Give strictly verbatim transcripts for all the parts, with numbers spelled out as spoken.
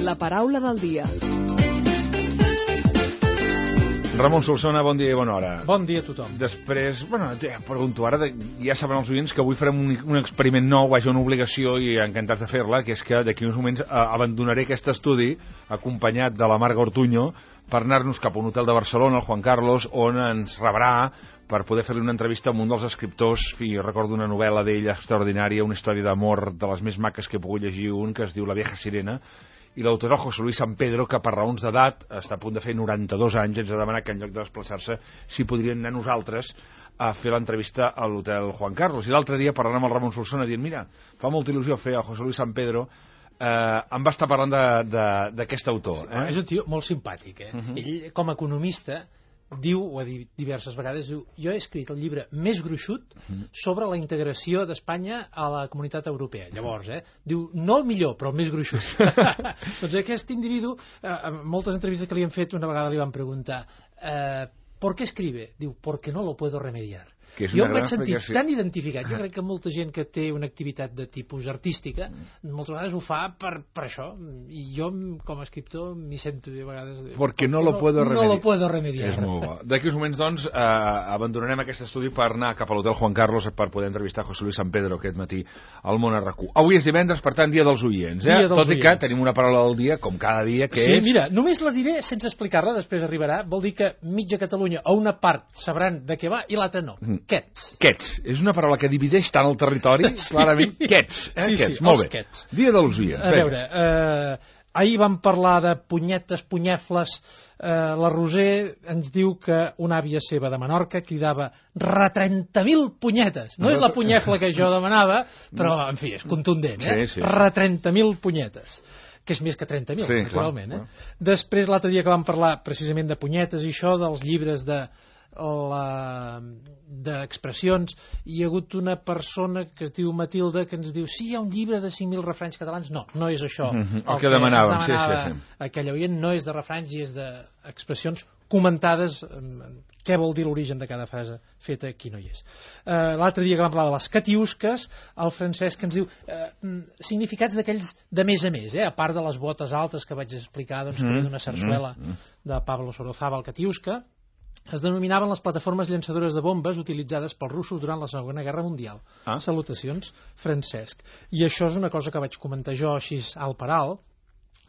La paraula del dia. Ramon Solsona, bon dia i bona hora. Bon dia a tothom. Després, bueno, ja pregunto ara, ja saben els oients que avui farem un, un experiment nou, vaja, una obligació i encantats de fer-la, que és que d'aquí uns moments eh, abandonaré aquest estudi acompanyat de la Marga Ortuño per anar-nos cap a un hotel de Barcelona, el Juan Carlos, on ens rebrà per poder fer-li una entrevista amb un dels escriptors. Fi, recordo una novel·la d'ell extraordinària, una història d'amor de les més maques que he pogut llegir, un que es diu La vieja sirena, i l'autor és José Luis San Pedro, que per raons d'edat està a punt de fer noranta-dos anys, ens ha demanat que en lloc de desplaçar-se si podrien anar nosaltres a fer l'entrevista a l'hotel Juan Carlos. I l'altre dia, parlant amb el Ramon Solsona, dient, mira, fa molta il·lusió fer a José Luis San Pedro, eh, em va estar parlant d'aquest autor. Sí, eh? és un tio molt simpàtic, eh? Uh -huh. Ell, com a economista, diu, ho ha dit diverses vegades, diu, jo he escrit el llibre més gruixut sobre la integració d'Espanya a la comunitat europea. Llavors, eh, diu, no el millor, però el més gruixut. Doncs aquest individu, eh, en moltes entrevistes que li han fet, una vegada li van preguntar, eh, ¿por qué escribe? Diu, porque no lo puedo remediar. Jo em vaig sentir tan identificat. Jo crec que molta gent que té una activitat de tipus artística moltes vegades ho fa per, per això, i jo com a escriptor m'hi sento de vegades de, perquè no lo puedo remediar. No lo puedo remediar. És molt bo. D'aquí uns moments, doncs, eh, abandonarem aquest estudi per anar cap a l'hotel Juan Carlos per poder entrevistar José Luis San Pedro aquest matí al Món a RAC1. Avui és divendres, per tant, dia dels oients, eh? Dia dels Tot i que oients. tenim una paraula del dia, com cada dia, que sí, és... Sí, mira, només la diré sense explicar-la, després arribarà. Vol dir que mitja Catalunya o una part sabran de què va i l'altra no. Mm. Quets. Quets. És una paraula que divideix tant el territori, sí. Clarament. Quets. Eh? Sí, Quets. sí, Molt bé. Quets. Dia de los oients. A veure, eh, ahir vam parlar de punyetes, punyefles. Eh, la Roser ens diu que una àvia seva de Menorca cridava re trenta mil punyetes. No, no és la punyefla que jo demanava, però, en fi, és contundent, eh? Sí, sí. re trenta mil punyetes, que és més que trenta mil, sí, naturalment. clar, Eh? Després, l'altre dia que vam parlar precisament de punyetes i això, dels llibres de d'expressions, hi ha hagut una persona que es diu Matilda que ens diu, sí, hi ha un llibre de cinc mil refranys catalans. No, no és això. Mm -hmm. El, el que, que demanàvem, sí, demanava sí, sí. aquell oient no és de refranys i és d'expressions comentades, què vol dir l'origen de cada frase feta, aquí no hi és. Uh, L'altre dia que vam parlar de les catiusques, el Francesc ens diu uh, significats d'aquells de més a més, eh? A part de les botes altes que vaig explicar, doncs, mm -hmm. d'una sarsuela mm -hmm. de Pablo Sorozaba, el catiusca, es denominaven les plataformes llançadores de bombes utilitzades pels russos durant la Segona Guerra Mundial. Ah. Salutacions, Francesc. I això és una cosa que vaig comentar jo així alt per alt.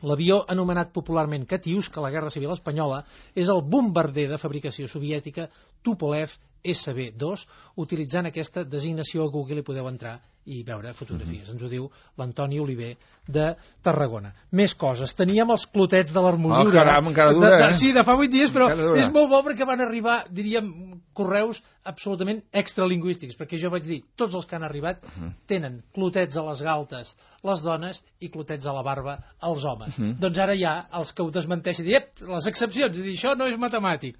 L'avió anomenat popularment Katiuska a la Guerra Civil Espanyola és el bombarder de fabricació soviètica Tupolev S B dos, utilitzant aquesta designació a Google hi podeu entrar i veure fotografies. Mm-hmm. Ens ho diu l'Antoni Oliver de Tarragona. Més coses. Teníem els clotets de l'Hermosura. Oh, caram, encara dura, de, de, eh? Sí, de fa vuit dies, però és molt bo perquè van arribar, diríem, correus absolutament extralingüístics, perquè jo vaig dir, tots els que han arribat uh-huh. tenen clotets a les galtes les dones i clotets a la barba els homes. Uh-huh. Doncs ara hi ha els que ho desmenteixen i ep, les excepcions, i dir, això no és matemàtic.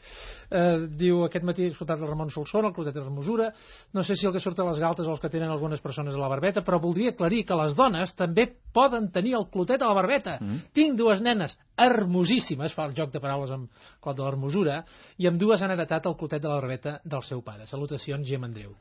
Eh, diu, aquest matí he escoltat el Ramon Solsona, el clotet de l'Hermosura, no sé si el que surt a les galtes o els que tenen algunes persones a la barbeta, però voldria aclarir que les dones també poden tenir el clotet a la barbeta. Mm. Tinc dues nenes hermosíssimes, fa el joc de paraules amb clot de l'Hermosura, i amb dues han heretat el clotet de la barbeta del seu pare. Salutacions, Gem Andreu.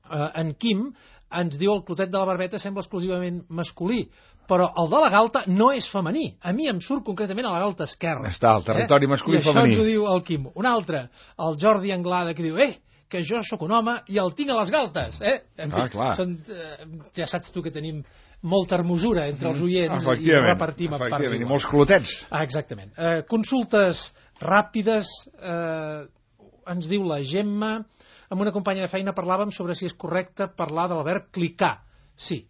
Uh, en Quim ens diu el clotet de la barbeta sembla exclusivament masculí, però el de la galta no és femení. A mi em surt concretament a la galta esquerra. Està, el territori eh? masculí i femení. I això ens ho diu el Quim. Un altre, el Jordi Anglada, que diu, eh, que jo sóc un home i el tinc a les galtes. Eh? En fi, ah, clar. Són, eh, ja saps tu que tenim molta hermosura entre els oients i repartim a parts iguals. I molts clotets. Ah, exactament. Eh, consultes ràpides, eh, ens diu la Gemma, amb una companya de feina parlàvem sobre si és correcte parlar del verb clicar. Sí,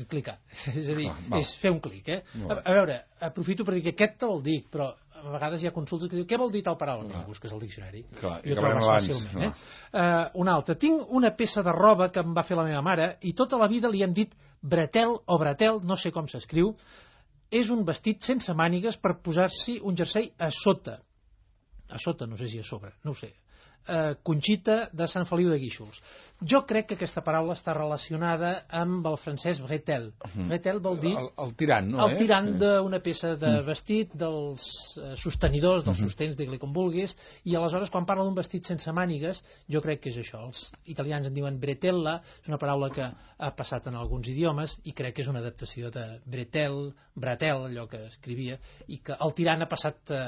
clicar. És a dir, ah, és fer un clic, eh? A, a veure, aprofito per dir que aquest te'l dic, però a vegades hi ha consultes que diu què vol dir tal paraula? No. Busques el diccionari. Clar, i ho trobes fàcilment. No. Eh? Uh, una altra. Tinc una peça de roba que em va fer la meva mare i tota la vida li hem dit bretel o bretel, no sé com s'escriu. És un vestit sense mànigues per posar-s'hi un jersei a sota. A sota, no sé si a sobre, no ho sé. eh, Conxita de Sant Feliu de Guíxols. Jo crec que aquesta paraula està relacionada amb el francès bretel. Mm. Bretel vol dir... El, el tirant, no? El eh? tirant sí. d'una peça de vestit, dels eh, sostenidors, dels Mm-hmm. sostens, digue-li com vulguis, i aleshores quan parla d'un vestit sense mànigues, jo crec que és això. Els italians en diuen bretella, és una paraula que ha passat en alguns idiomes, i crec que és una adaptació de bretel, bratel, allò que escrivia, i que el tirant ha passat a,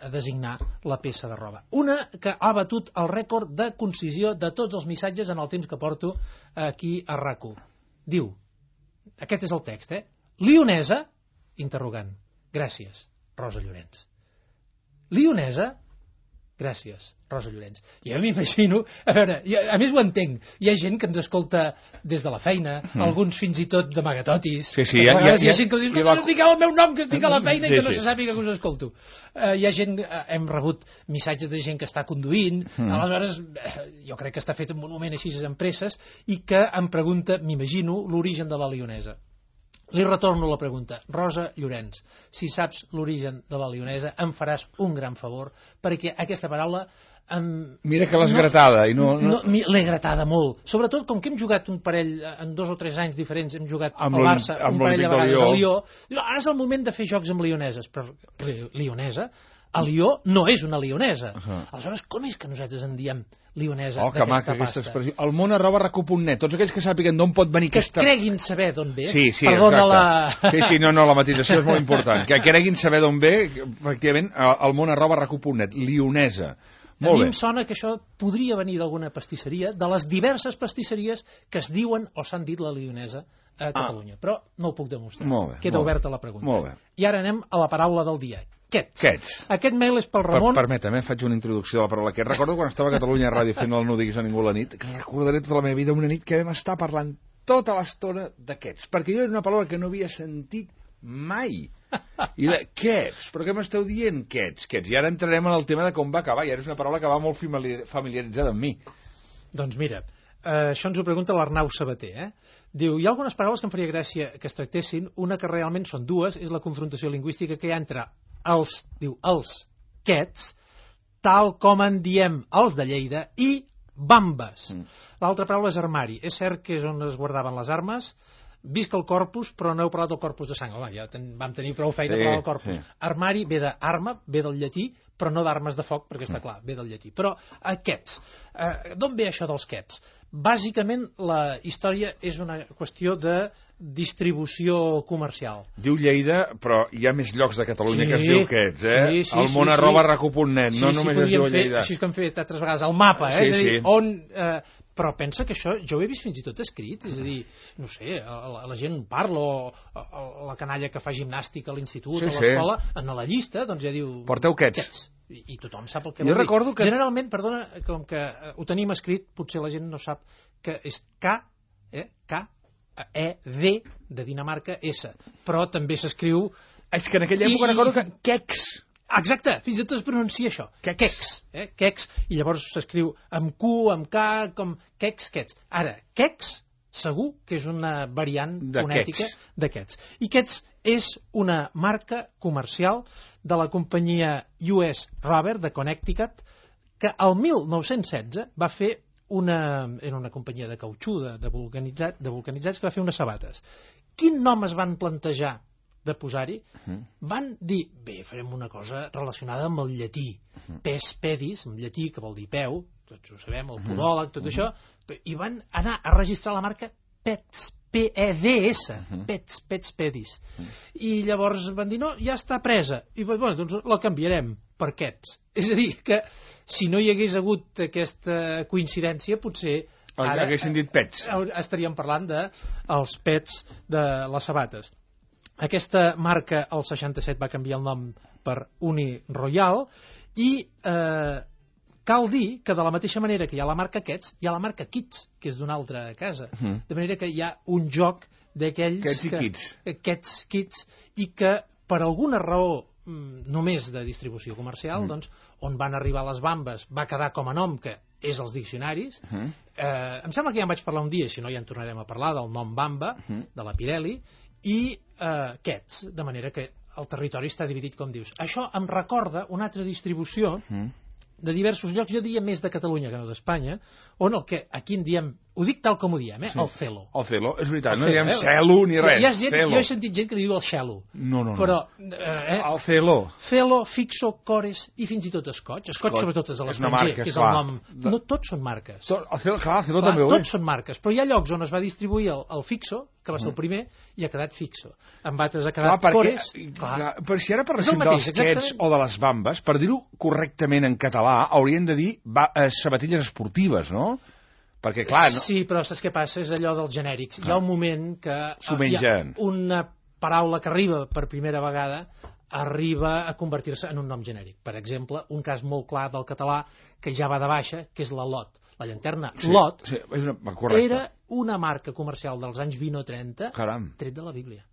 a designar la peça de roba. Una que ha batut el rècord de concisió de tots els missatges en el temps que porto aquí a RAC u. Diu, aquest és el text, eh? Lionesa, interrogant, gràcies, Rosa Llorenç. Lionesa, gràcies, Rosa Llorenç. Jo m'imagino, a veure, jo, a més ho entenc, hi ha gent que ens escolta des de la feina, mm. alguns fins i tot d'amagatotis. Sí, sí, hi ha, hi ha, hi ha gent que diu, no, va... no digueu el meu nom, que estic a la feina sí, i que no sí. se sàpiga que us escolto. Uh, hi ha gent, uh, hem rebut missatges de gent que està conduint, mm. aleshores uh, jo crec que està fet un monument així en presses, i que em pregunta, m'imagino, l'origen de la lionesa. Li retorno la pregunta. Rosa Llorenç, si saps l'origen de la lionesa, em faràs un gran favor, perquè aquesta paraula... Em... Mira que l'has no, gratada. I no, no... no l'he gratada molt. Sobretot, com que hem jugat un parell, en dos o tres anys diferents, hem jugat amb al Barça, un parell de vegades Lió. al Lió. Ara és el moment de fer jocs amb lioneses. Però lionesa, a Lió no és una lionesa. Uh -huh. Aleshores, com és que nosaltres en diem lionesa oh, d'aquesta maca, pasta? aquesta expressió. El món arroba rac u punt net. Tots aquells que sàpiguen d'on pot venir que aquesta... Que creguin saber d'on ve. Sí, sí, Perdona exacte. la... Sí, sí, no, no, la matització és molt important. Que creguin saber d'on ve, efectivament, el món arroba rac u punt net. Lionesa. Molt a mi bé. em sona que això podria venir d'alguna pastisseria, de les diverses pastisseries que es diuen o s'han dit la lionesa a Catalunya. Ah. Però no ho puc demostrar. Molt bé, Queda molt oberta bé. la pregunta. Molt bé. I ara anem a la paraula del dia. Quets. Quets. Aquest mail és pel Ramon... Per, permetem, eh, faig una introducció de la paraula quets. Recordo quan estava a Catalunya Ràdio fent el No diguis a ningú a la nit, que recordaré tota la meva vida una nit que vam estar parlant tota l'estona d'aquests, perquè jo era una paraula que no havia sentit mai. I la, quets, però què m'esteu dient, quets, quets? I ara entrarem en el tema de com va acabar, i ara és una paraula que va molt familiaritzada amb mi. Doncs mira, eh, això ens ho pregunta l'Arnau Sabater, eh? Diu, hi ha algunes paraules que em faria gràcia que es tractessin, una que realment són dues, és la confrontació lingüística que hi ha entre els, diu, els quets, tal com en diem els de Lleida, i bambes. Mm. L'altra paraula és armari. És cert que és on es guardaven les armes. Visca el corpus, però no heu parlat del corpus de sang. Home, ja ten, vam tenir prou feina sí, per parlar del corpus. Sí. Armari ve d'arma, ve del llatí, però no d'armes de foc, perquè està clar, ve del llatí. Però aquests, eh, d'on ve això dels quets? Bàsicament, la història és una qüestió de distribució comercial. Diu Lleida, però hi ha més llocs de Catalunya sí, que es diu quets, eh? Sí, sí, el món sí, arroba sí. rac u punt net, no sí, només sí, es diu fer, Lleida. Així que hem fet altres vegades, el mapa, eh? Sí, és a dir, sí. on... Eh, però pensa que això, jo ho he vist fins i tot escrit, és a dir, no sé, la, la gent parla, o, o la canalla que fa gimnàstica a l'institut, sí, a l'escola, sí. En la llista, doncs ja diu... Porteu quets. quets. I, I tothom sap el que jo vol recordo dir. Que... Generalment, perdona, com que ho tenim escrit, potser la gent no sap que és K, eh, K, E, D, de Dinamarca, S. Però també s'escriu... És que en aquella època I... recordo que quecs... Exacte, fins i tot es pronuncia això, quecs, eh? Quecs, i llavors s'escriu amb Q, amb K, com quecs, quets. Ara, quecs, segur que és una variant de fonètica quets. d'aquests. I quets és una marca comercial de la companyia U S Rubber de Connecticut, que el mil nou-cents setze va fer una... era una companyia de cautxú, de, de, vulcanitzat, de vulcanitzats, que va fer unes sabates. Quin nom es van plantejar de posar-hi? Uh-huh. Van dir, bé, farem una cosa relacionada amb el llatí. Uh-huh. Pes pedis, en llatí, que vol dir peu, tots ho sabem, el podòleg, tot uh-huh. això, i van anar a registrar la marca Pets, P E D S, uh-huh. Pets, Pets pedis. Uh-huh. I llavors van dir, no, ja està presa. I bueno, doncs la canviarem per quets. És a dir, que si no hi hagués hagut aquesta coincidència, potser ara haguessin dit pets. Estaríem parlant dels pets de les sabates. Aquesta marca, el seixanta-set, va canviar el nom per Uni Royal i eh, cal dir que de la mateixa manera que hi ha la marca Quets, hi ha la marca Kids, que és d'una altra casa. Uh-huh. De manera que hi ha un joc d'aquells... Quets i que, Kids. Quets, Kids, i que per alguna raó només de distribució comercial, uh-huh. doncs, on van arribar les bambes va quedar com a nom, que és als diccionaris. Uh-huh. eh, em sembla que ja en vaig parlar un dia, si no ja en tornarem a parlar, del nom bamba, uh-huh. de la Pirelli, i eh, Quets, de manera que el territori està dividit, com dius. Això em recorda una altra distribució uh-huh. de diversos llocs, jo diria més de Catalunya que no d'Espanya, on el que aquí en diem, ho dic tal com ho diem, eh? Sí. El celo. El celo, és veritat, el no celo, diem eh? celo ni res. Hi ha gent, celo. jo he sentit gent que li diu el xelo. No, no, no. Però, eh, el celo. Celo, fixo, cores i fins i tot escoig. Escoig, sobretot, és a l'estranger, que és el nom. No tots són marques. Tot, el celo, clar, el celo clar, també ho és. Tots són marques, però hi ha llocs on es va distribuir el, el fixo, que va ser el primer, i ha quedat fixo. En altres ha quedat clar, cores. Clar. Però si ara parléssim dels quets o de les bambes, per dir-ho correctament en català, haurien de dir va, eh, sabatilles esportives, no? Perquè, clar... No... Sí, però saps què passa? És allò dels genèrics. Ah. Hi ha un moment que... S'ho mengen. Hi ha una paraula que arriba per primera vegada arriba a convertir-se en un nom genèric. Per exemple, un cas molt clar del català que ja va de baixa, que és la Lot. La llanterna sí, Lot sí, és una... era una marca comercial dels anys vint o trenta, Caram. tret de la Bíblia.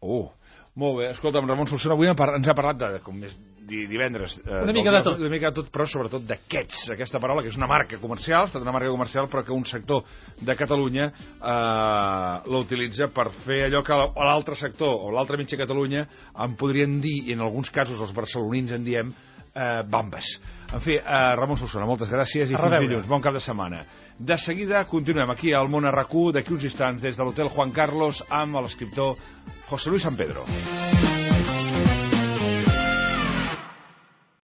Oh, molt bé. Escolta'm, Ramon Solsona, avui ens ha parlat de, com és divendres... Eh, una mica de tot. Una mica de tot, però sobretot d'aquests, aquesta paraula, que és una marca comercial, ha estat una marca comercial, però que un sector de Catalunya eh, l'utilitza per fer allò que l'altre sector o l'altra mitja Catalunya en podrien dir, i en alguns casos els barcelonins en diem, eh, bambes. En fi, eh, Ramon Solsona, moltes gràcies i fins dilluns. Bon cap de setmana. De seguida continuem aquí al Món R Q, d'aquí uns instants, des de l'Hotel Juan Carlos, amb l'escriptor José Luis San Pedro.